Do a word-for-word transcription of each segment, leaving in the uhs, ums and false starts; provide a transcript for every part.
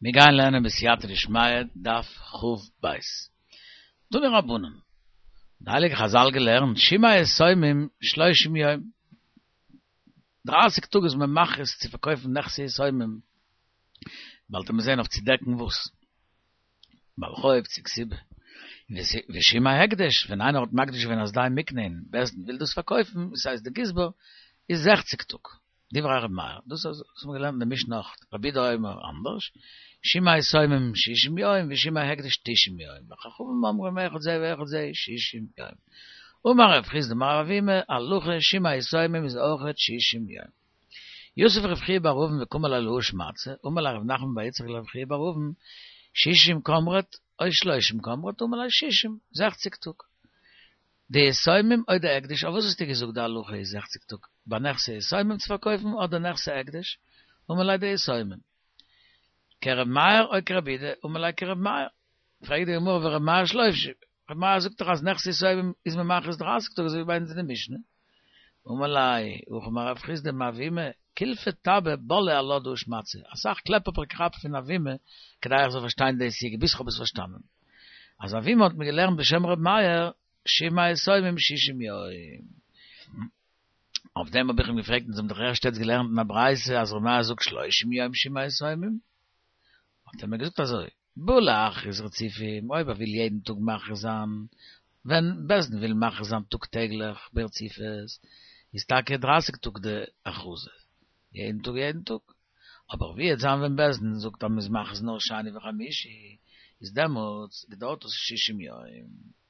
מיר גייען לערנען בסייעתא דשמיא דף כ"ב. תנו רבנן. די הייליגע חזל געלערנט שמאי יתומים שלושים יום. דרייסיג טאג איז מען מכריז צו פארקויפן נכסי יתומים, באלד וועט מען זען אויף צו דעקן וואס. בעל חוב צו כתובה. ושמאי הקדש, ווען איינער האט מקדיש געווען א שדה מוקנה און בית דין וויל דאס פארקויפן, דאס הייסט די גזבר, איז זעכציג טאג. דברי ר' מאיר, דאס האט מען געלערנט אין די משנה אויך, רבי יהודה אומר אנדערש, שמאי יתומים שישים יום ושמאי הקדש תשעים יום, וחכמים אומרים אחד זה ואחד זה שישים יום. אמר רב חסדא אמר רב אבימי, הלכה שמאי יתומים איז אויכעט שישים יום. יתיב רב חייא בר אבין וקאמר לה להא שמעתתא, אמר ליה רב נחמן בר יצחק לרב חייא בר אבין, שישים קאמרת או שלושים קאמרת, אמר ליה שישים, זעכציג טאג. די יתומים או דהקדש, אויף וואס האסטו געזאגט די הלכה איז זעכציג טאג? ביי נכסי יתומים צו פארקויפן אדער נכסי הקדש? אמר ליה דיתומים. כר' מאיר או כר' יהודה? אמר ליה כר' מאיר. פרעגט די גמרא ור' מאיר שלושים, ר' מאיר זאגט דאך אז נכסי יתומים איז מען מכריז דרייסיג טאג אזוי ווי ביי אונז אין די משנה. אמר ליה, הכי אמר רב חסדא אמר אבימי, קולפא טבא בלעי עלה דהא שמעתתא, אסאך קלעפ האב איך געכאפט פון אבימי כדי איך זאל פארשטיין די סוגיא, ביז כ'האב עס פארשטאנען. אז אבימי האט מיר געלערנט בשם ר' מאיר, שמאי יתומים שישים יום. אויף דעם האב איך אים געפרעגט, אונז האבן דאך ערשט יעצט געלערנט אין א ברייתא אז ר' מאיר זאגט שלושים יום שמאי יתומים. האט ער מיר געזאגט אזוי, בא להכריז רצופים, אויב ער וויל יעדן טאג מכריז זיין, ווען בית דין וויל מכריז זיין טאג טעגליך ברציפות, איז טאקע דרייסיג טאג די הכרזה, יעדן טאג יעדן טאג. אבער ווי וועט זיין ווען בית דין זאגט אז מ'איז מכריז נאר שני וחמישי, איז דעמאלטס געדויערט עס שישים יום.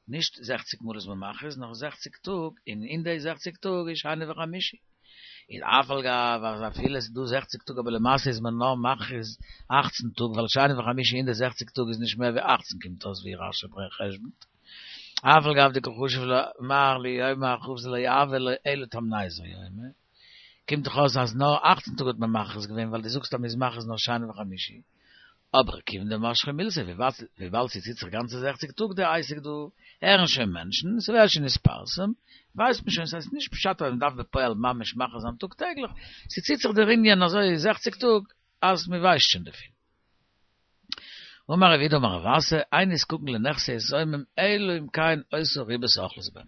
נישט זעכציק מאל איז מען מכריז, נאר זעכציק טאג, און אין די זעכציק טאג איז שני וחמישי. איז אף על גב אז אפילו עס איז דא זעכציק טאג אבער למעשה איז מען נאר מכריז אכצן טאג ווייל שני וחמישי אין די זעכציק טאג איז נישט מער ווי אכצן קומט אויס ווי רש"י חשבונ'ט. אף על גב דקא חשיב מר ליומי הכרזה לא הוה ליה אלא תמניסר יומי. קומט דאך אויס אז נאר אכצן טאג האט מען מכריז געווען ווייל דו זאגסט אז מען איז מכריז נאר שני וחמישי. אבער כיוון דמשכא מילתא, וויבאלד ס'ציט זיך גאנצע זעכציק טאג די עסק דא, הערן שוין מענטשן, ס'ווערט שוין נתפרסם, ווייסט מען שוין, ס'הייסט נישט פשט אז מ'דארף בפועל ממש מכריז זיין טאג טעגליך, ס'ציט זיך דער ענין אזוי זעכציק טאג אז מ'ווייסט שוין דערפון. אמר רב יהודה אמר רב אסי, אין נזקקין לנכסי יתומים אלא אם כן היתה ריבית אוכלת בהם.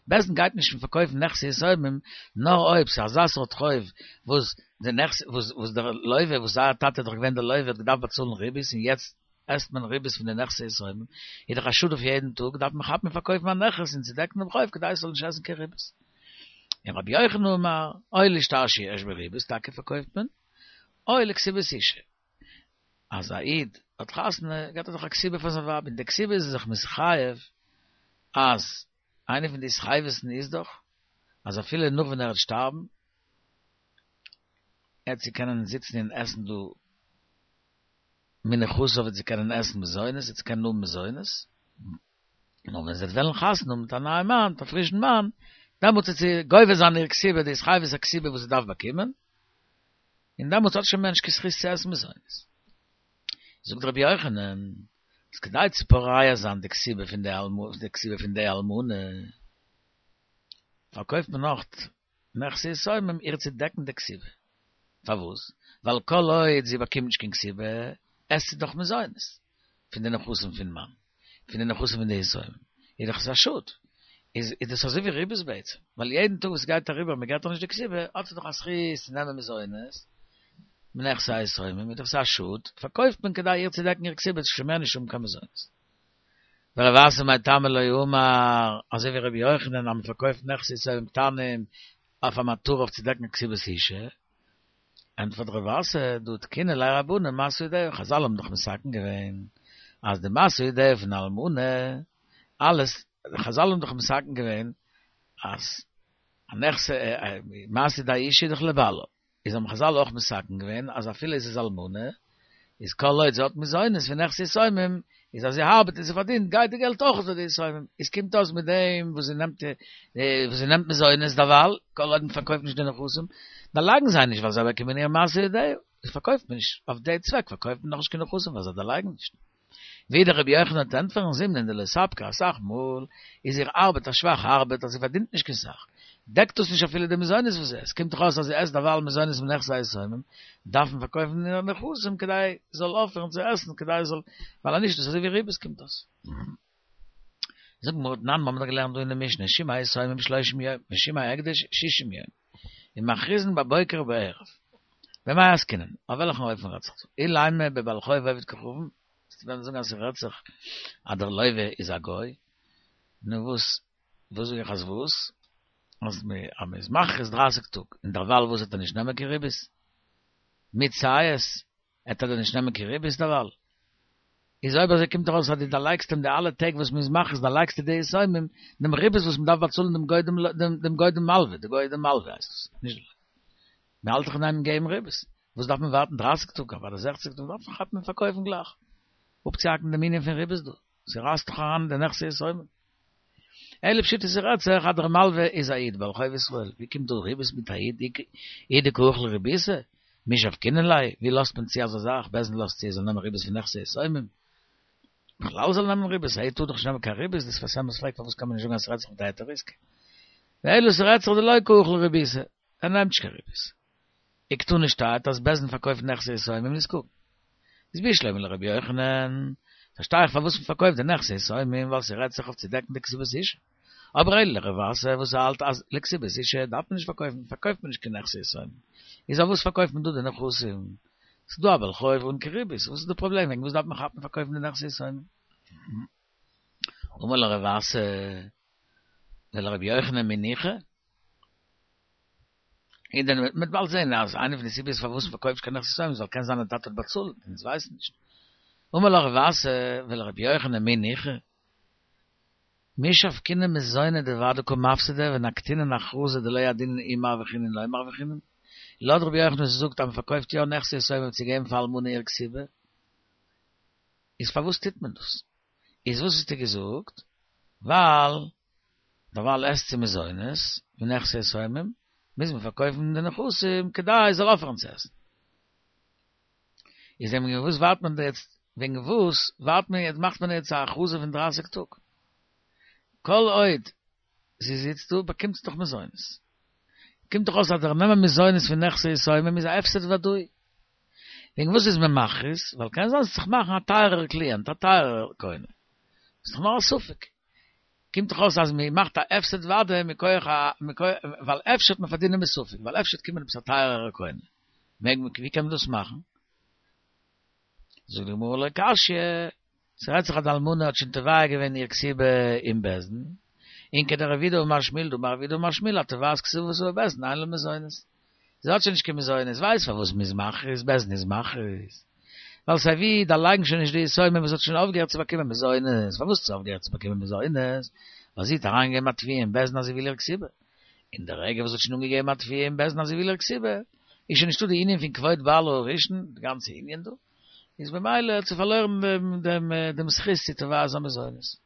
בית דין גייט נישט פארקויפן נכסי יתומים נאר אויב ס'איז אזא סארט חוב וואס די נכס וואס וואס דער לוה וואס זייער טאטע איז דאך געווען דער לוה האט געדארפט באצאלן ריבית און יעצט עסט מען ריבית פון די נכסי יתומים איז דאך א שאד אויף יעדן טאג דארף מען כאפן און פארקויפן א נכס און צו דעקן דעם חוב כדי עס זאל נישט עסן קיין ריבית. און רבי יוחנן אמר או לשטר שיש בו ריבית טאקע פארקויפט מען או לכתובת אשה. אז א איד האט חתונה געט ער דאך א כתובה פאר זיין ווייב און די כתובה איז ער זיך מתחייב אז איינע פון די התחייבות'ן איז דאך אז אפילו נאך ווען ער וועט שטארבן עט זי קענען זיצן און עסן דא מנכסיו וועט זי קענען עסן מזונות, וועט זי קענען האבן מזונות, נאר ווען זי וועט וועלן חתונה האבן מיט א נייעם מאן, מיט א פרישן מאן, דעמאלטס וועט זי גובה זיין איר כתובה, די התחייבות הכתובה וואס זי דארף באקומען, און דעמאלטס האט שוין מער נישט קיין זכות צו עסן מזונות. זאגט רבי יוחנן, אז כדי צו פורע זיין די כתובה פון די די כתובה פון די אלמנה, פארקויפט מען נאך נכסי יתומים איר צו דעקן די כתובה. פארוואס? ווייל כל עוד זי באקומט נישט קיין כתובה, עסט זי דאך מזונות פון די נכסים פון מאן, פון די נכסים פון די יתומים, איז דאך עס א שאד. איז איז דאס אזוי ווי ריבית בעצם, ווייל יעדן טאג וואס גייט אריבער מען געט איר נישט די כתובה, האט זי דאך א זכות צו נעמען מזונות, מנכסי היתומים, איז דאך עס א שאד, פארקויפט מען כדי איר צו דעקן איר כתובה, זי זאל שוין מער נישט האבן קיין מזונות. ורב אסי מאי טעמא לא אמר, אזוי ווי רבי יוחנן אז מען פארקויפט נכסי יתומים קטנים אויף א מטרה אויף צו דעקן א כתובת אשה, ענטפערט רב אסי, דהא תקינו ליה רבנן משא ידיה, חזל האבן דאך מתקן געווען אז די משא ידיה פון אלמנה, אלעס, חזל האבן דאך מתקן געווען אז א נכס, מעשה ידי אשה איז דאך לבעלה, איז האבן חזל אויך מתקן געווען אז אפילו עס איז אלמנה, איז כל עוד זי האט מזונות פון נכסי יתומים, איז אז זי ארבעט און זי פארדינט גייט די געלט אויך צו די יתומים, איז קומט אויס מיט דעם וואס זי נעמט וואס זי נעמט מזונות דערווייל, כל עוד מען פארקויפט נישט די נכסים, דערלייגן זיי נישט ווייל זיי באקומען איר מעשה ידיה, איז פארקויפט מען נישט, אויף די צוועק פארקויפט מען נאכנישט קיין נכסים ווייל זיי דערלייגן נישט. ווידער רבי יוחנן וועט ענטפערן זימנין דלא ספקא אסאך מאל איז איר ארבעט א שוואכע ארבעט אז זי פארדינט נישט קיין סאך, דעקט דאס נישט אפילו די מזונות וואס עס קומט דאך אויס אז זי עסט דערווייל מזונות פון נכסי יתומים, דארף מען פארקויפן די נכסים כדי זאל אויפהערן צו עסן, כדי זאל, ווייל אנישט דאס אזוי ווי ריבית קומט דאס. זאגט די גמרא תנן, מיר האבן דאך געלערנט דא אין די משנה, שמעי יתומים שלושים יום, ושמעי הקדש שישים יום, ומכריזין בבוקר ובערב. במאי עסקינן? אויף וועלכן אופן רעדט זיך דא? אילימא בבעל חוב עובד כוכבים, וועסטו וועלן זאגן אז ס'רעדט זיך אז דער לווה איז א גוי, נו וואס, וואס זאג איך אז וואס? אז מען איז מכריז דרײַסיק טאג, און דערווייל וואס וועט ער נישט נעמען קיין ריבית? מיט סייעס וועט ער דען נישט נעמען קיין ריבית דערווייל? איז אויב אזוי קומט דאך אויס אז דו דערלייגסט אים די אלע טעג וואס מען איז מכריז דערלייגסטו די יתומים דעם ריבית וואס מען דארף באצאלן דעם גוי דעם דעם גוי דעם מלווה, די גוי דעם מלווה הייסט עס, נישט די לווה. מען האלט דאך אין איין געבן ריבית, וואס דארף מען ווארטן דרײַסיק טאג אדער זעכציק טאג, דארף מען כאפן און פארקויפן גלייך, אפצוהאקן דעם ענין פון ריבית דא, ס'רייסט דאך אריין אין די נכסי יתומים. אלא פשיטא ס'רעדט זיך אז דער מלווה איז א איד בעל חוב ישראל, ווי קומט דא ריבית מיט א איד אי דקא אכיל ריביתא, מי שבקינן ליה, ווי לאזט מען צו אזא זאך, בית דין לאזט צו ער זאל נעמען ריבית פון נכסי יתומים? בכלל זאל נעמען ריבית, א איד טאר דאך נישט נעמען קיין ריבית, דער שפת אמת פרעגט פארוואס קען מען נישט זאגן אז ס'רעדט זיך מיט א היתר עסקה? ואלא ס'רעדט זיך דלא קא אכיל ריביתא, ער נעמט נישט קיין ריבית. וקתני שטייט אז בית דין פארקויפט נכסי יתומים נזקקין. איז בשלמא לרבי יוחנן, פארשטיי איך פארוואס מ'פארקויפט די נכסי יתומים ווייל ס'רעדט זיך אויף צו דעקן די כתובת אשה. אבער אלא לרב אסי וואס האלט אז לכתובת אשה דארף מען נישט פארקויפן, פארקויפט מען נישט קיין נכסי יתומים. איז אויף וואס פארקויפט מען דא די נכסים? ס'איז דא א בעל חוב אן קיין ריבית, וואס איז די פראבלעם וועגן וואס דארף מען כאפן פארקויפן די נכסי יתומים? אמר ליה רב אסי ולרבי יוחנן מי ניחא? און דען מ'וועט באלד זען אז איינע פון די סיבות פארוואס מ'פארקויפט נישט קיין נכסי יתומים איז ווייל קען זיין דער טאטע האט באצאלט, אונז ווייסן נישט. אמר ליה רב אסי ולרבי יוחנן מי ניחא? מי שבקינן מזוני דודאי קא מפסדי ונקטינן הכרזה דלא ידעינן אי מרווחינן לא מרווחינן. לויט רבי יוחנן וואס זאגט אז מ'פארקויפט יא נכסי יתומים צו געבן פאר אלמנה איר כתובה, איז פארוואס טוט מען דאס? איז וואס האסטו געזאגט? ווייל דערווייל עסט זי מזונות מנכסי יתומים, מוז מען פארקויפן די נכסים כדי זי זאל אויפהערן צו עסן. איז וועגן וואס ווארט מען יעצט, וועגן וואס ווארט מען יעצט, מאכט מען יעצט א הכרזה פון דרײַסיק טאג? כל עוד זי זיצט דא באקומט זי דאך מזונות. קומט דאך אויס אז דער נעמען מזונות פון נכסי יתומים איז א הפסד ודאי. וועגן וואס איז מען מכריז? ווייל קען זיין ס'וועט זיך מאכן א טייערער קליענט, א טייערער קונה. ס'איז דאך נאר א ספק. קומט דאך אויס אז מען מאכט א הפסד ודאי מכח א ווייל אפשר וועט מען פארדינען מספק, ווייל אפשר וועט קומען עפעס א טייערערע קונה. מעג מען, ווי קען מען דאס מאכן? זאגט די גמרא לא קשיא, ס'רעדט זיך אז די אלמנה האט שוין תובע געווען איר כתובה אין בית דין, און כדרב יהודה אמר שמואל דאמר רב יהודה אמר שמואל התובעת כתובתה בבית דין אין לה מזונות. זי האט שוין נישט קיין מזונות, ווייסט פארוואס מ'איז מכריז, בית דין איז מכריז. ווייל סיי ווי דערלייגן שוין נישט די יתומים וואס האט שוין אויפגעהערט צו באקומען מזונות, פארוואס האט זי אויפגעהערט צו באקומען מזונות? ווייל זי האט אריינגעגעבן א תביעה אין בית דין אז זי וויל איר כתובה. אין די רגע וואס זי האט שוין אנגעגעבן א תביעה אין בית דין אז זי וויל איר כתובה, איז שוין נישטא די ענין פון כבוד בעלה הראשון, די גאנצע ענין דא, איז במילא האט זי פארלוירן דעם דעם זכות צו תובע זיין מזונות.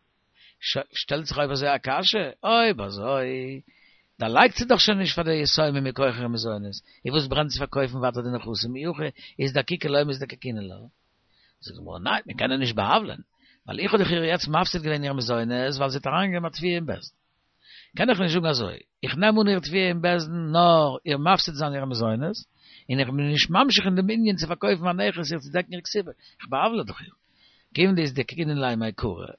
שטעלט זיך אויב אזוי א קשיא, אויב אזוי דערלייגט זי דאך שוין נישט פאר די יתומים מכח אירע מזונות, איז וואס ברענט צו פארקויפן ווייטער די נכסים אי הכי איזדקוקי לא מזדקקינן לה? זאגט די גמרא ניין, מען קען איר נישט בא'עוול'ען, ווייל איך האב דאך איר יעצט מפסיד געווען איר מזונות ווייל זי האט אריינגעגעבן א תביעה אין בית דין. קען איך נישט זאגן אזוי, איך נעם אן איר תביעה אין בית דין נאר איר מפסיד זיין איר מזונות, און איך בין נישט ממשיך אין דעם ענין צו פארקויפן א נכס איר צו דעקן איר כתובה, איך בא'עוול'ע דאך איר. כיוון דאיזדקקינן ליה מעיקרא,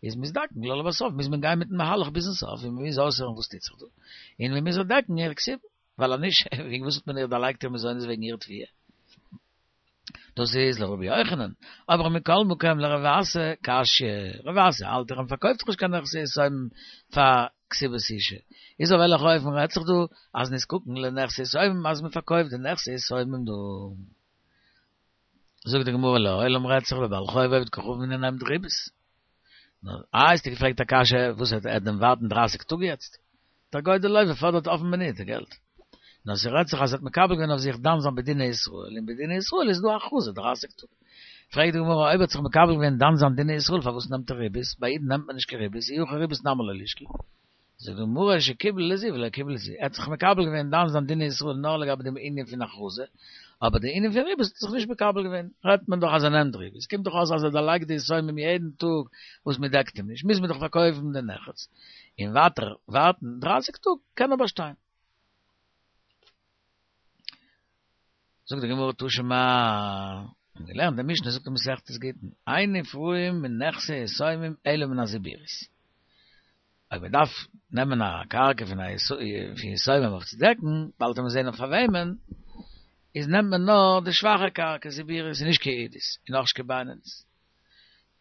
איז מזדקקין לה לבסוף, מוז מען גיין מיטן מהלך ביזן סוף, און מען מוז אויסהערן וואס טוט זיך דא, און מען מוז איר דעקן איר כתובה, ווייל אז נישט, וועגן וואס האט מען איר דערלייגט איר מזונות וועגן איר תביעה? דאס איז לרבי יוחנן, אבער מכל מקום לרב אסי קשיא, רב אסי האלט דאך אז מ'פארקויפט דאך נישט קיין נכסי יתומים פאר כתובת אשה, איז אויף וועלכע אופן רעדט זיך דא אז נזקקין לנכסי יתומים אז מ'פארקויפט די נכסי יתומים דא? זאגט די גמרא לעולם רעדט זיך בבעל חוב עובד כוכבים און ער נעמט ריבית. נו, איי האסטו געפרעגט א קשיא וואס וועט ער דען ווארטן דרייסיג טאג יעצט? דער גוי דער לוה פאדערט אויפן מינוט די געלט. נאר ס'רעדט זיך אז ער האט מקבל געווען אויף זיך דן זיין בדיני ישראל, און בדיני ישראל איז דא א הכרזה דרייסיג טאג. פרעגט די גמרא אויב ער האט זיך מקבל געווען דן זיין דיני ישראל פארוואס נעמט ער ריבית? ביי אידן נעמט מען נישט קיין ריבית, אי הכי ריבית נמי לא לישקול. זאגט די גמרא שקיבל לזו ולא קיבל לזו, ער האט זיך מקבל געווען דן זיין דיני ישראל נאר לגבי דעם ענין פון הכרזה, אבער דער ענין פון ריבית האט זיך נישט מקבל געווען, רעדט מען דאך אז ער נעמט ריבית, עס קומט דאך אויס אז ער דערלייגט די יתומים יעדן טאג וואס מען דעקט אים נישט, מוז מען דאך פארקויפן די נכס, און ווייטער ווארטן דרײַסיק טאג קען ער באשטיין. זאגט די גמרא תא שמע, מ'האט געלערנט די משנה זאגט אין מסכת גיטין, אין נפרעין מנכסי יתומים אלא מן הזיבורית. אויב מען דארף נעמען א קרקע פון א פון יתומים אויף צו דעקן, באלד וועט מען זען אויף פאר וועמען, איז נעמט מען נאר די שוואכע קרקע זיבורית, און נישט קיין עידית, און אויך נישט קיין בינונית.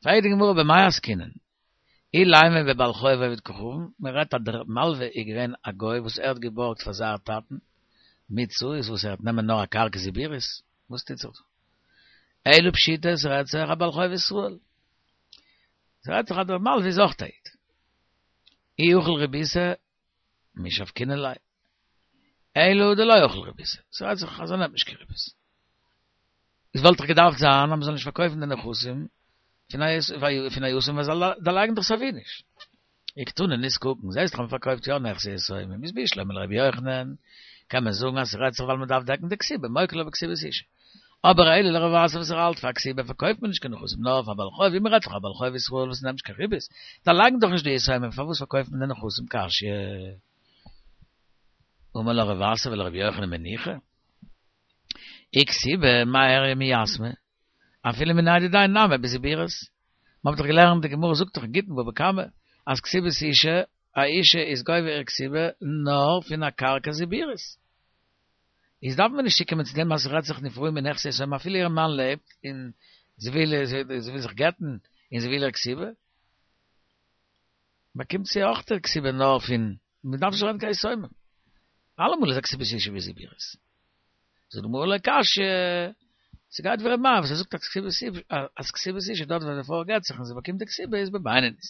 פרעגט די גמרא במאי עסקינן? אילימא בבעל חוב עובד כוכבים, מען רעדט אז דער מלווה איז געווען א גוי וואס ער האט געבארגט פאר זייער טאטן, מצוה איז וואס ער וועט נעמען נאר א קרקע זיבורית, וואס טוט זיך דא? אלא פשיטא ס'רעדט זיך א בעל חוב ישראל, ס'רעדט זיך אז דער מלווה איז אויך א איד, אי אכיל ריביתא מי שבקינן ליה, אלא דלא אכיל ריביתא, ס'רעדט זיך אז ער נעמט נישט קיין ריבית. עס וואלט דאך געדארפט זיין אז מ'זאל נישט פארקויפן די נכסים פון א יתום ווייל זיי דערלייגן דאך סייווי נישט. וקתני נישט קוקן, זעסט דאך אז מ'פארקויפט יא נכסי יתומים, איז בשלמא לרבי יוחנן, קען מען זאגן אז ס'רעדט זיך ווייל מ'דארף דעקן די כתובה, מוקי לה בכתובת אשה. אבער אלא לרב אסי וואס ער האלט פאר כתובה פארקויפט מען נישט קיין נכסים נאר פאר בעל חוב, ווי מ'רעדט פון א בעל חוב ישראל וואס נעמט נישט קיין ריבית, דערלייגן דאך נישט די יתומים, פארוואס פארקויפט מען די נכסים קשיא? אמר לך רב אסי ולרבי יוחנן מניחא? אי כתובה מאי איריא מיתמי? אפילו מיניה דידיה נמי בזיבורית. מ'האט דאך געלערנט די גמרא זאגט דאך אין גיטין בבא קמא אז כתובת אשה, א אשה איז גובה איר כתובה נאר פון א קרקע זיבורית. איז דארף מען נישט צוקומען צו דעם אז ס'רעדט זיך נפרעין מנכסי יתומים אפילו איר מאן לעבט און זי וויל זי וויל זיך גט'ן און זי וויל איר כתובה. באקומט זי אויך איר כתובה נאר פון, מ'דארף נישט רעדן קיין יתומים. אלעמאל איז א כתובת אשה בזיבורית. זאגט די גמרא לא קשיא, ס'גייט ווי ר' מאיר וואס ער זאגט אז כתובת אשה דארט ווען די פרוי גט זיך און זי באקומט די כתובה איז בבינונית.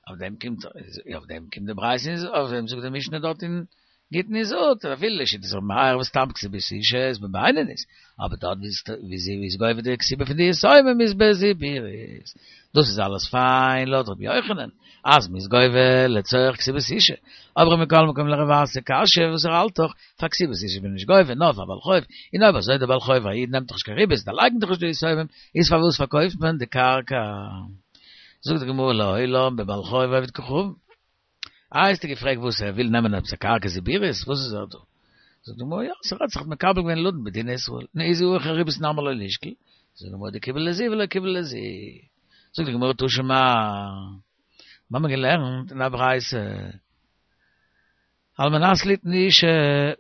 אויף דעם קומט אויף דעם קומט די ברייתא און אויף דעם זאגט די משנה דארט אין גיטין איז זאגט אז אפילו לשיטת ר' מאיר וואס סתם כתובת אשה איז בבינונית, אבער דארט ווי זי איז גובה די כתובה פון די יתומים איז בזיבורית. דאס איז אלעס פיין לויט רבי יוחנן אז מ'איז גובה לצורך כתובת אשה, אבער מכל מקום לרב אסי קשיא וואס ער האלט דאך פאר כתובת אשה איז מען נישט גובה נאר פאר בעל חוב, און אויב אזוי דער בעל חוב א איד נעמט דאך נישט קיין ריבית דערלייגן דאך נישט די יתומים, איז פארוואס פארקויפט מען די קרקע? זאגט די גמרא לעולם בבעל חוב עובד כוכבים. איי האסטו געפרעגט וואס ער וויל נעמען עפעס א קרקע זיבורית וואס איז ער דא? זאגט די גמרא יא ס'רעדט זיך מקבל געווען לדון בדיני ישראל נו איז אי אכיל ריבית נמי לא לישקול זאגט די גמרא דקיבל לזו ולא קיבל לזו זאגט די גמרא תא שמע מ'האמיר געלערנט אין א ברייתא על מנת ליתן לאשה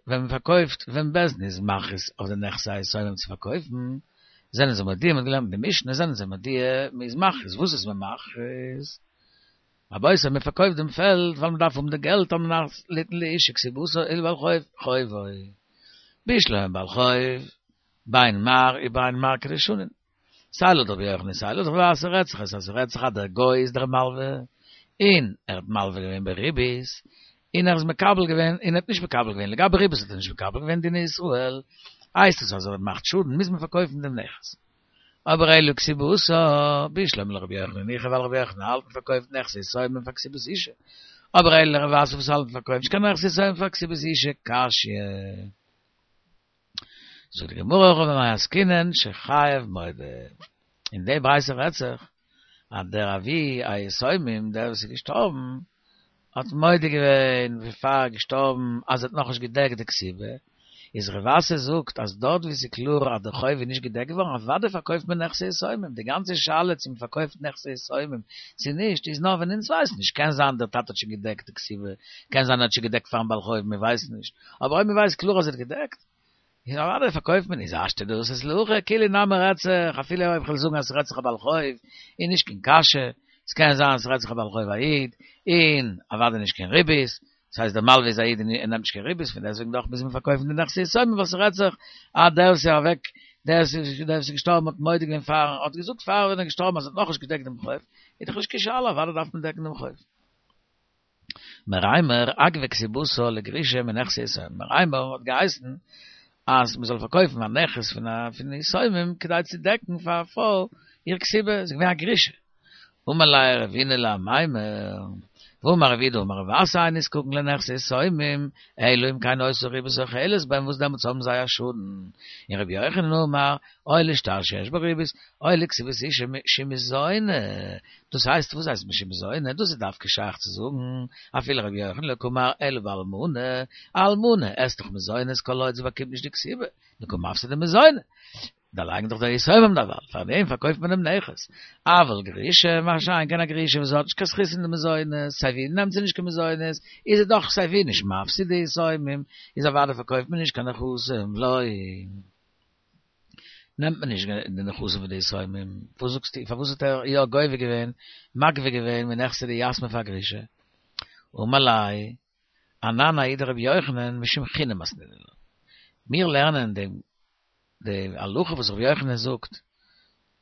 ווען מ'פארקויפט ווען בית דין איז מכריז אויף די נכסי היתומים צו פארקויפן זענען זיי מודיע מ'האט געלערנט אין די משנה זענען זיי מודיע מ'איז מכריז וואס איז מען מכריז? רבותי מען פארקויפט דעם פעלד ווייל מען דארף האבן די געלט על מנת ליתן לאשה כתובתה ולבעל חוב חובו בשלמא בעל חוב בין מר ובין מר כדשנין סיי לויט רבי יוחנן סיי לויט רב אסי רעדט זיך עס אז ס'רעדט זיך אז דער גוי איז דער מלווה און ער האט מלווה געווען בריבית און ער איז מקבל געווען און ער האט נישט מקבל געווען לגבי ריבית האט ער נישט מקבל געווען דיני ישראל הייסט עס אז ער מאכט שאדן מוז מען פארקויפן דעם נכס. אבער אלא כתובתה, בשלמא לרבי יוחנן ניחא ווייל רבי יוחנן האלט מען פארקויפט נכסי יתומים פאר כתובת אשה, אבער אלא לרב אסי וואס האלט מען פארקויפט נישט קיין נכסי יתומים פאר כתובת אשה, קשיא. זאגט די גמרא הכא במאי עסקינן שחייב מודה. אין די ברייתא רעדט זיך אז דער אבי היתומים דער וואס איז געשטארבן האט מודה געווען בעפאר ער איז געשטארבן אז ער האט נאכנישט געדעקט די כתובה, איז רב אסי זאגט אז דארט ווי ס'איז קלאר אז די חוב איז נישט געדעקט געווארן אוודאי פארקויפט מען נכסי יתומים, די גאנצע שאלה צו מ'פארקויפט נכסי יתומים צו נישט איז נאר ווען אונז ווייסן נישט, קען זיין דער טאטע האט שוין געדעקט די כתובה, קען זיין ער האט שוין געדעקט פארן בעל חוב מ'ווייסט נישט, אבער אויב מ'ווייסט קלאר אז ער האט געדעקט איז אוודאי פארקויפט מען איז השתא דאתית להכי כולי נמי רעדט זיך אפילו אויב כ'וועל זאגן אז ס'רעדט זיך א בעל חוב איז נישט קיין קשיא, ס'קען זיין אז ס'רעדט זיך א בעל חוב א איד און אוודאי נישט קיין ריבית, דאס הייסט דער מלווה איז א איד און ער נעמט נישט קיין ריבית פון דעסטוועגן דאך מוז מען פארקויפן די נכסי יתומים ווייל ס'רעדט זיך אז דער וואס איז אוועק דער וואס איז געשטארבן האט מודה געווען פאר האט געזאגט פאר ווען ער איז געשטארבן אז ער האט נאכנישט געדעקט דעם חוב איז דאך נישט קיין שאלה אוודאי דארף מען דעקן דעם חוב. מרימר אגבה כתובתה לגרושה מנכסי יתומים, מרימר האט געהייסן אז מען זאל פארקויפן א נכס פון א פון יתומים כדי צו דעקן פאר א פרוי איר כתובה, זי איז געווען א גרושה. אמר ליה רבינא לאמימר, ואמר רב יהודה אמר רב אסי אין נזקקין לנכסי יתומים, אלא אם כן היתה ריבית אוכלת בהם וואס דעמאלטס האבן זיי א שאדן. און רבי יוחנן אמר, או לשטר שיש בו ריבית, או לכתובת אשה שמזונה. דאס הייסט, וואס הייסט שמזונה? דאס איז דווקא שייך צו זאגן, אפילו רבי יוחנן לא קאמר אלא באלמנה, א אלמנה עסט דאך מזונות כל עוד זי באקומט נישט די כתובה, נו קא מפסידא מזוני. דערלייגן דאך די יתומים דערווייל, פאר דעם פארקויפט מען דעם נכס. אבל גרושה, מה שאין כן א גרושה וואס האט נישט קיין זכות אין די מזונות, סיי ווי נעמט זי נישט קיין מזונות, איז זי דאך סיי ווי נישט מפסיד די יתומים, איז אוודאי פארקויפט מען נישט קיין נכסים, לא. נעמט מען נישט די נכסים פון די יתומים, וואס זאגסטו, פארוואס האט ער יא גובה געווען, מגבה געווען מנכסי דיתמי פאר גרושה? אמר ליה, אנן ההיא דרבי יוחנן משום חינא מתנינן לה. מיר לערנען דעם די הלכה וואס רבי יוחנן זאגט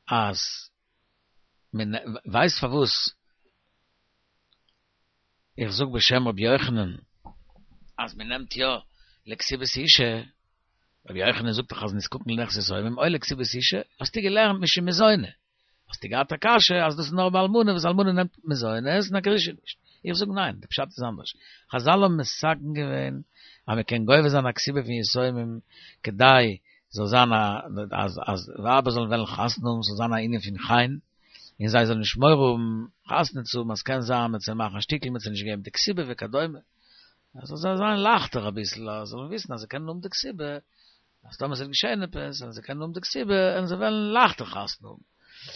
אז מען ווייסט פארוואס איך זאג בשם רבי יוחנן אז מען נעמט יא לכתובת אשה, רבי יוחנן זאגט דאך אז נזקקין לנכסי יתומים או לכתובת אשה, האסטו געלערנט משום מזוני, האסטו געהאט א קשיא אז דאס איז נאר ביי אלמנה וואס אלמנה נעמט מזונות און א גרושה נישט, איך זאג ניין, די פשט איז אנדערש, חזל האבן מתקן געווען אז מען קען גובה זיין א כתובה פון יתומים כדי זאל זיין א אז אז ווייבער זאלן וועלן חתונה האבן, ס'זאל זיין א ענין פון חן, און זיי זאלן נישט מורא האבן חתונה צו האבן אז ס'קען זיין מ'וועט זיי מאכן א שטיקל מ'וועט זיי נישט געבן די כתובה וכדומה, אז ס'זאל זיי זיין לייכטער אביסל אז זיי זאלן וויסן אז זיי קענען האבן די כתובה, אז טאמער ס'וועט געשען עפעס און זיי קענען האבן די כתובה און זיי וועלן לייכטער חתונה האבן.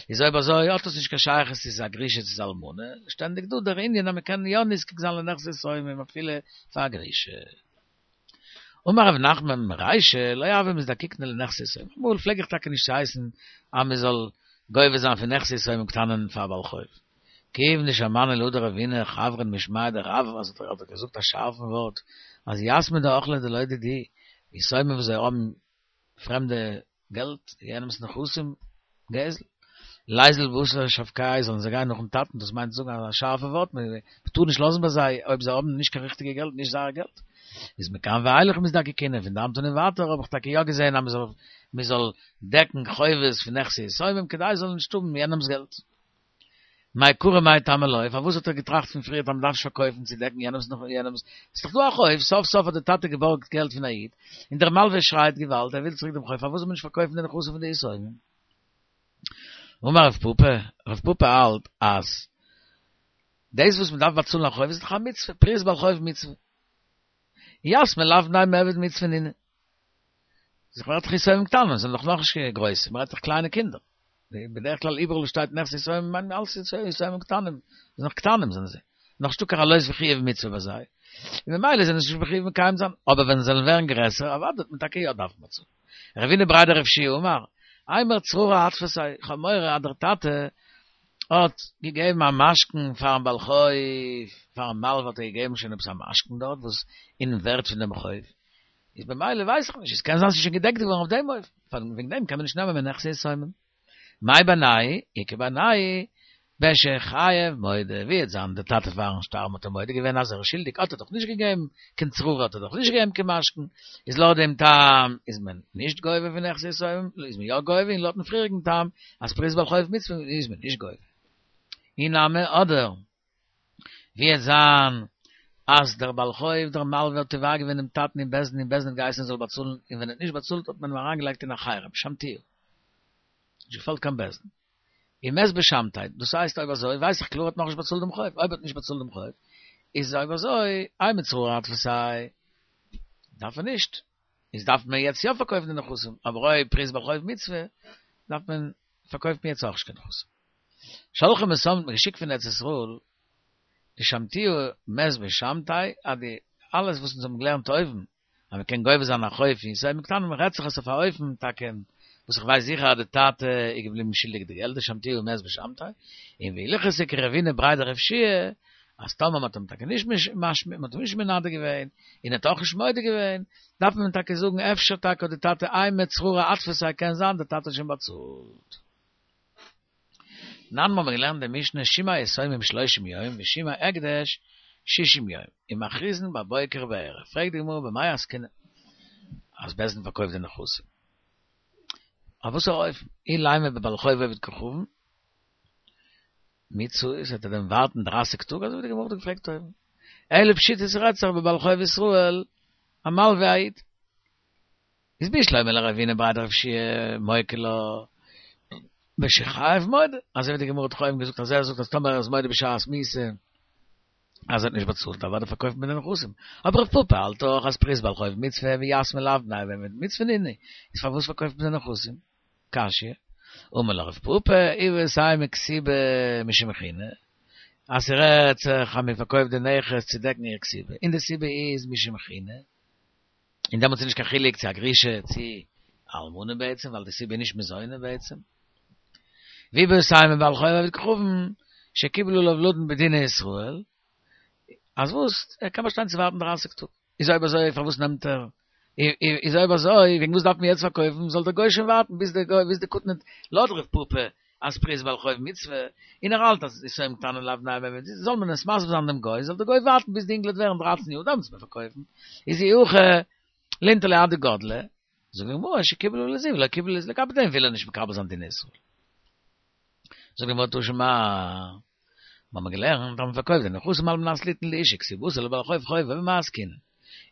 איז אויב אזוי האט עס נישט קיין שייכות צו ס'איז א גרושה צו ס'איז אלמנה, שטענדיג דא דער ענין אז מ'קען יא נזקק זיין לנכסי יתומים אפילו פאר א גרושה. אמר רב נחמן מרישא לא הוה מזדקקינן לנכסי יתומים, אמאל פלעג איך טאקע נישט צו הייסן אז מען זאל גובה זיין פון נכסי יתומים קטנים פאר א בעל חוב. כיוון דשמענא להא דרבינא חברין משמיה דרב אז האט ער געזאגט א שארפן ווארט אז יתמי דאכלי דלא דידהו, יתומים וואס זיי האבן פרעמדע געלט, יענעמס נכסים, גזל. ליזיל בתר שבקייהו זאלן זיי גיין נאכן טאטן, דאס מיינט זאגן א שארפע ווארט, מען טאר נישט לאזן ביי זיי אויב זיי האבן נישט קיין ריכטיגע געלט, נישט זייער געלט. איז מכאן ואילך מזדקקינן, פון דאמט אן און ווייטער האב איך טאקע יא געזען אז מען זאל דעקן חובות פון נכסי יתומים כדי זיי זאלן נישט האבן יענעמס געלט. מעיקרא מאי טעמא לא, פארוואס האט ער געטראכט פון פריערט אז מען דארף נישט פארקויפן צו דעקן יענעמס נאך יענעמס, ס'איז דאך דא א חוב, סוף סוף האט דער טאטע געבארגט געלט פון א איד, און דער מלווה שרייט געוואלד ער וויל צוריק דעם חוב, פארוואס זאל מען נישט פארקויפן די נכסים פון די יתומים? אמר רב פפא, רב פפא האלט אז דאס וואס מען דארף באצאלן א חוב איז דאך א מצוה, פריעת בעל חוב מצוה. יתמי לאו בני מיעבד מצוה נינהו. זיך מ'רעדט דאך יתומים קטנים, זענען דאך נאכנישט גרויסע, מ'רעדט דאך קליינע קינדער. בדרך כלל איבעראל וואו שטייט נכסי יתומים מיינט מען אלס יתומים קטנים, זענען נאך קטנים זענען זיי, נאך נישטא קיין עלות וחיוב מצוה ביי זיי, און ממילא זענען זיי נישט מחויב מקיים זיין, אבער ווען זיי זאלן ווערן גרעסער אוודאי וועט מען טאקע יא דארפן באצאלן. רבינא בריה דרב יהושע אמר, אימר צררי אתפסיה, איך האב מורא אז דער טאטע האט געגעבן א משכון פארן בעל חוב, פארן מלווה האט ער געגעבן שוין עפעס א משכון דארט וואס אין ווערט פון דעם חוב, איז במילא ווייס איך נישט, עס קען זיין ס'איז שוין געדעקט געווארן אויף דעם אופן, וועגן דעם קען מען נישט נעמען מנכסי יתומים. מאי בינייהו, איכא בינייהו, בשחייב מודה, ווי וועט זיין דער טאטע פארן שטארבן האט ער מודה געווען אז ער איז שולדיג, האט ער דאך נישט געגעבן קיין צררי האט ער דאך נישט געגעבן קיין משכון, איז לויט דעם טעם איז מען נישט גובה פון נכסי יתומים, איז מען יא גובה, און לויטן פריעריגן טעם אז פריעת בעל חוב מצוה איז מען נישט גובה. אי נמי אדער ווי וועט זיין אז דער בעל חוב דער מלווה האט תובע געווען דעם טאטן אין בית דין און בית דין האט געהייסן ער זאל באצאלן און ווען ער האט נישט באצאלט האט מען אים אריינגעלייגט אין א חרם שמתוהו נישט געפאלט קיין בית דין ומת בשמתיה דאס הייסט אויב אזוי ווייס איך קלאר ער האט נאכנישט באצאלט דעם חוב אויב ער האט נישט באצאלט דעם חוב איז אויב אזוי אימר צררי אתפסיה דארף ער נישט איז דארף מען יעצט יא פארקויפן די נכסים אבער אויב פריעת בעל חוב מצוה דארף מען פארקויפט מען יעצט אויך נישט קיין נכסים. שלחו משם האט מען געשיקט פון ארץ ישראל דשמתוהו מת בשמתיה אז די אלעס וואס אונז האבן געלערנט אויבן אז מען קען גובה זיין א חוב פון יתומים קטנים רעדט זיך עס אויף א אופן טאקע וואס איך ווייס זיכער אז די טאטע איז געבליבן שולדיג די געלט דשמתוהו מת בשמתיה און והלכתא כרבינא בריה דרב יהושע אז טאמער מען האט אים טאקע נישט מען האט אים נישט מנדה געווען און ער האט אויך נישט מודה געווען דארף מען טאקע זאגן אפשר טאקע האט די טאטע אימר צררי אתפסיה קען זיין די טאטע האט שוין באצאלט. תנן מיר האבן געלערנט די משנה שמעי יתומים שלושים יום ושמעי הקדש שישים יום ומכריזין בבוקר ובערב, פרעגט די גמרא במאי עסקינן אז בית דין פארקויפט די נכסים אויף וואסערע אופן, אילימא בבעל חוב עובד כוכבים, מיצוי, זאלט ער דעם ווארטן דרײַסיק טאג, אזוי ווי די גמרא האט געפרעגט אויבן. אלא פשיטא ס'רעדט זיך בבעל חוב ישראל, המלווה א איד. איז בשלמא לרבינא בריה דרב יהושע מוקי לה בשחייב מודה, אזוי ווי די גמרא האט דאך אויבן געזאגט אז ער זאגט אז טאמער ער איז מודה בשעת מיתה אז ער האט נישט באצאלט אוודאי פארקויפט מען די נכסים, אבער רב פפא האלט דאך אז פריס בעל חוב מצוה ויתמי לאו בני עבד מצוה נינהו, איז פארוואס פארקויפט מען די נכסים? קשיא, אמר לך רב פפא איבעית אימא כתובה משום חינא, אז ס'רעדט זיך אז מען פארקויפט די נכס צו דעקן איר כתובה, און די סיבה איז משום חינא, און דעמאלטס איז נישט קיין חילוק צו א גרושה צו א אלמנה בעצם, ווייל די סיבה איז נישט מזונות בעצם. ואיבעית אימא בעל חוב עובד כוכבים שקיבלו עליו לדון בדיני ישראל, אז וואס? ער קען באשטיין צו ווארטן דרײַסיק טאג. איז אויב אזוי פארוואס נעמט ער? איז אויב אזוי וועגן וואס דארף מען יעצט פארקויפן? זאל דער גוי שוין ווארטן ביז דער גוי ביז די קטן לויט רב פפא אז פריס בעל חוב מצוה, און ער האלט אז יתומים קטנים לאו בני מעמד, זאל מען עס מסביר זיין דעם גוי, זאל דער גוי ווארטן ביז די אינגל וועט ווערן דרײַצן יאר דאן וועט מען פארקויפן, איז אי הכי לינטו ליה עד דגדלי, זאגט די גמרא שקיבלו לזו ולא קיבלו לזו, לגבי דעם וויל ער נישט מקבל זיין דין ישראל. זאגט די גמרא תא שמע, מיר האבן געלערנט אז מען פארקויפט די נכסים על מנת ליתן לאשה כתובתה ולבעל חוב חובו במאי עסקינן.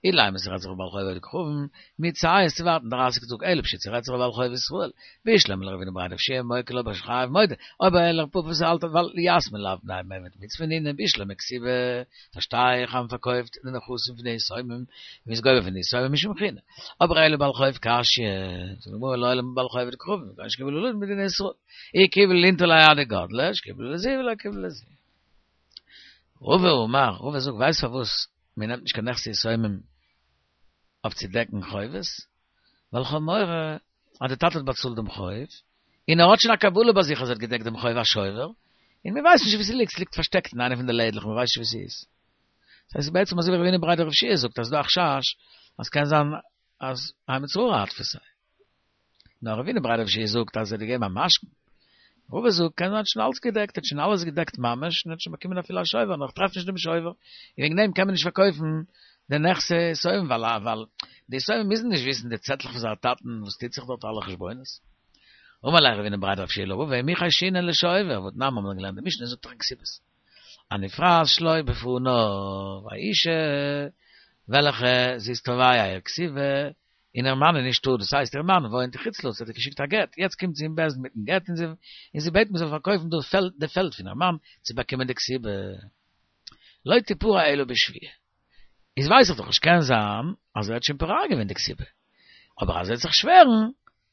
אילימא ס'רעדט זיך בבעל חוב עובד כוכבים, מציית צו ווארטן דרײַסיק טאג אלא פשיטא ס'רעדט זיך בבעל חוב ישראל, בשלמא לרבינא בריה דרב יהושע מוקי לה בשחייב מודה, אבער לרב פפא וואס האלט ווייל יתמי לאו בני מימד מצוה נינהו בשלמא כתובה, פארשטיי איך אז מ'פארקויפט די נכסים פון די יתומים, מ'איז גובה פון די יתומים משום חינא. אבער אלא בעל חוב קשיא, זאגט די גמרא לעולם בבעל חוב עובד כוכבים, כגון שקיבלו עליו לדון בדיני ישראל, אי קיבלו לינטו ליה עד דגדלי, שקיבלו לזו ולא קיבלו לזו. רבא אמר, רבא זאגט ווייסט פארוואס מען נעמט נישט קיין נכסי יתומים אויף צו דעקן חובות, ווייל כ'האב מורא אז די טאטע האט באצאלט דעם חוב, און ער האט שוין א קבלה ביי זיך אז ער האט געדעקט דעם חוב א שובר, און מען ווייסט נישט וואו ס'ליגט, ס'ליגט פארשטעקט אין איינע פון די לעדלעך, מען ווייסט נישט וואו ס'איז. ס'הייסט בעצם אזוי ווי רבינא בריה דרב יהושע זאגט אז ס'דא א חשש אז ס'קען זיין אז האי מצררא אתפסיה. נאר רבינא בריה דרב יהושע זאגט אז ער האט געגעבן א משכון. רבא זאגט קען זיין האט שוין אלץ געדעקט, האט שוין אלעס געדעקט ממש, און האט שוין באקומען אפילו א שובר, נאר איך טרעף נישט דעם שובר, און וועגן דעם קען מען נישט פארקויפן די נכסי יתומים, ווייל ווייל די יתומים מוזן נישט וויסן די צעטלעך פון זייער טאטן וואס טוט זיך דארט אלע חשבונות. אמר ליה רבינא בריה דרב יהושע לרבא מי חיישינן לשובר, והתנן האבן מיר געלערנט די משנה זאגט דאך אין כתובות הנפרעת שלא בפניו, א אישה וועלכע זי איז תובע איר כתובה און איר מאן איז נישטא, דאס הייסט איר מאן וואוינט אין חוץ לארץ האט איר געשיקט א גט, יעצט קומט זי אין בית דין מיטן גט און זי און זי בעט מען זאל פארקויפן דאס פעלד די פעלד פון איר מאן צו באקומען די כתובה. לא תפרע אלא בשבועה. איז ווייס איך דאך נישט קען זיין אז ער האט שוין פורע געווען די כתובה, אבער אז ער וועט זיך שווערן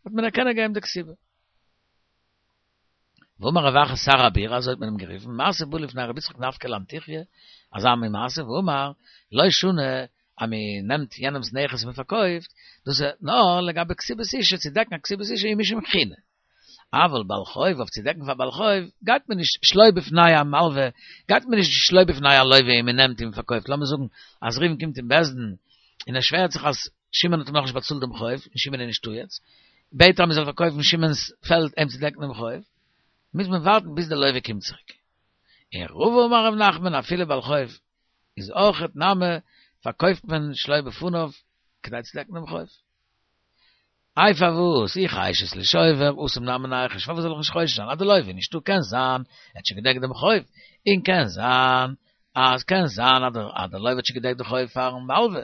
וועט מען איר קענען געבן די כתובה. ואמר רב אחא שר הבירה, אזוי האט מען אים גערופן, מעשה בא לפני רבי יצחק נפקא לאנטוכיא, אזא מין מעשה, ואמר, לא שנו, אז מען נעמט יענעמ'ס נכס און מען פארקויפט, דאס איז נאר לגבי כתובת אשה, צו דעקן א כתובת אשה און משום חינא. אבל בעל חוב, אויף צו דעקן פאר בעל חוב, גייט מען נישט שלא בפני המלווה, גייט מען נישט שלא בפני הלווה און מען נעמט און מען פארקויפט, לאמיר זאגן אז ראובן קומט אין בית דין און ער שווערט זיך אז שמעון האט אים נאכנישט באצאלט דעם חוב, און שמעון איז נישטא יעצט, בעט ער אז מען זאל פארקויפן שמעון'ס פעלד אים צו דעקן דעם חוב, מוז מען ווארטן ביז דער לווה קומט צוריק. און רבא אמר רב נחמן אפילו בעל חוב איז אויכעט נמי פארקויפט מען שלא בפניו כדי צו דעקן דעם חוב. איי פארוואס אי חיישת לשובר התם נמי ניחוש פארוואס זאל איך נישט חושש זיין אז דער לווה איז נישטא קען זיין ער האט שוין געדעקט דעם חוב און קען זיין אז קען זיין אז דער לווה האט שוין געדעקט די חוב פארן מלווה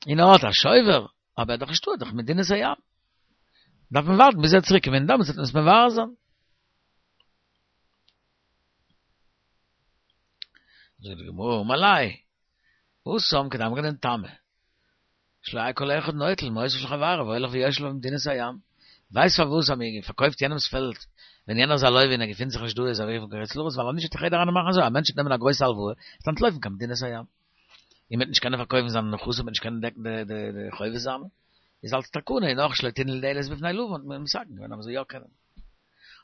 און ער האט א שובר אבער ער איז דאך נישטא ער איז דאך אין מדינת הים דארף מען ווארטן ביז ער וועט צוריק קומען און דעמאלטס וועט מען עס מברר זיין. זאגט די גמרא אמר ליה התם כדאמרינן טעמא שלא יהא כל אחד נוטל מעותיו של חברו והולך ויושב לו במדינת הים ווייסט פארוואס אז מען פארקויפט יענעמס פעלד ווען יענער איז א לווה און ער געפינט זיך נישט דא איז א וועג פון חוץ לארץ ווייל אנישט וועט דאך יעדער איינער מאכן אזוי א מענטש וועט נעמען א גרויסע הלוואה וועט אנטלויפן קיין מדינת הים און מ'וועט נישט קענען פארקויפן זיינע נכסים מ'וועט נישט קענען דעקן די די חובות זיינע איז אלס תקנה און אויך שלא תינעל דלת בפני לווה האט מען מתקן געווען אז מ'זאל יא קענען.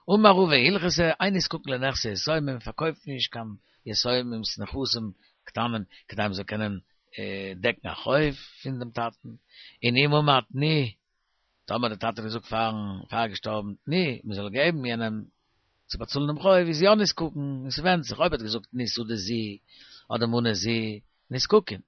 אמר רבא הלכתא אין נזקקין לנכסי יתומים מען פארקויפט נישט קיין יתומים'ס נכסים קטנים כדי מ'זאל קענען דעקן א חוב פון דעם טאטן, און אם אמר תנו, טאמער דער טאטע האט געזאגט פארן פאר ער איז געשטארבן תנו, מ'זאל געבן יענעם צו באצאלן דעם חוב איז יא נזקקין, און ס'ווענדט זיך אויב ער האט געזאגט תנו שדה זו אדער מנה זו, נזקקין.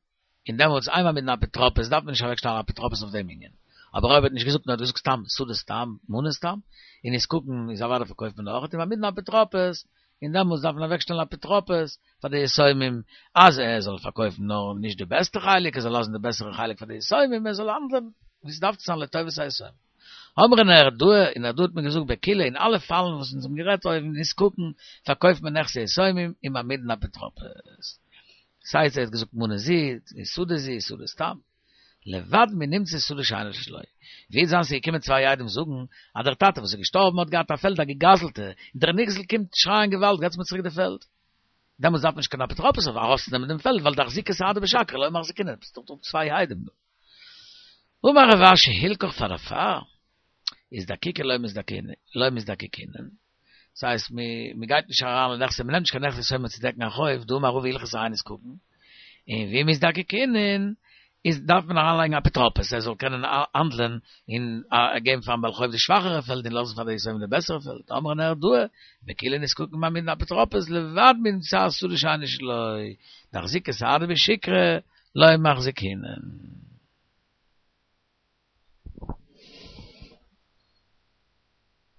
און דעמאלטס אין מעמידין אפוטרופוס דארף מען נישט אוועקשטעלן א אפוטרופוס אויף דעם ענין, אבער אויב ער האט נישט געזאגט נאר האט געזאגט סתם שדה סתם מנה סתם, און נזקקין איז אוודאי פארקויפט מען אויך, און מעמידין אפוטרופוס און דעמאלטס דארף מען אוועקשטעלן אפוטרופוס פאר די יתומים, אז ער זאל פארקויפן נאר נישט די בעסטע חלק, ער זאל לאזן די בעסערע חלק פאר די יתומים, ער זאל האנדלען ווי ס'דארף צו זיין לטובת היתומים. אמרי נהרדעא, אין נהרדעא האט מען געזאגט בכולהו אין אלע פאלן וואס אונז האבן גערעדט אויבן נזקקין, פארקויפט מען נכסי יתומים ומעמידין אפוטרופוס. ס'הייסט ער האט געזאגט מנה זו, שדה זו, שדה סתם. לבד מנמצא שדה שאינה שלו. ווי זיין ס'איז געקומען צוויי עדים זאגן אז דער טאטע וואס איז געשטארבן האט געהאט א פעלד א געגזלטע, און דער נגזל קומט שרייען געוואלד געטס מיר צוריק די פעלד. דעמאלטס דארף מען נישט קיין אפוטרופוס אויף ארויסצונעמען דעם פעלד ווייל דאחזיקי סהדי בשקרי לא מחזקינן, עס איז דאך דא צוויי עדים דא. אמר רב אשי הלכך פאר דערפאר איז דקוקי לא לא מזדקקינן, דאס הייסט מען גייט נישט אריין לנכסי, מען נעמט נישט קיין נכסי יתומים צו דעקן א חוב, דאמר רבא הלכתא הא נזקקין, און ואי מזדקקינן איז דארף מען אריינלייגן אפוטרופוס ער זאל קענען האנדלען און געבן פארן בעל חוב די שוואכערע פעלד און לאזן פאר די יתומים די בעסערע פעלד, אמרי נהרדעא, בכולהו נזקקין מעמידין אפוטרופוס לבד מנמצא שדה שאינה שלו, דאחזיקי סהדי בשיקרא לא מחזקינן.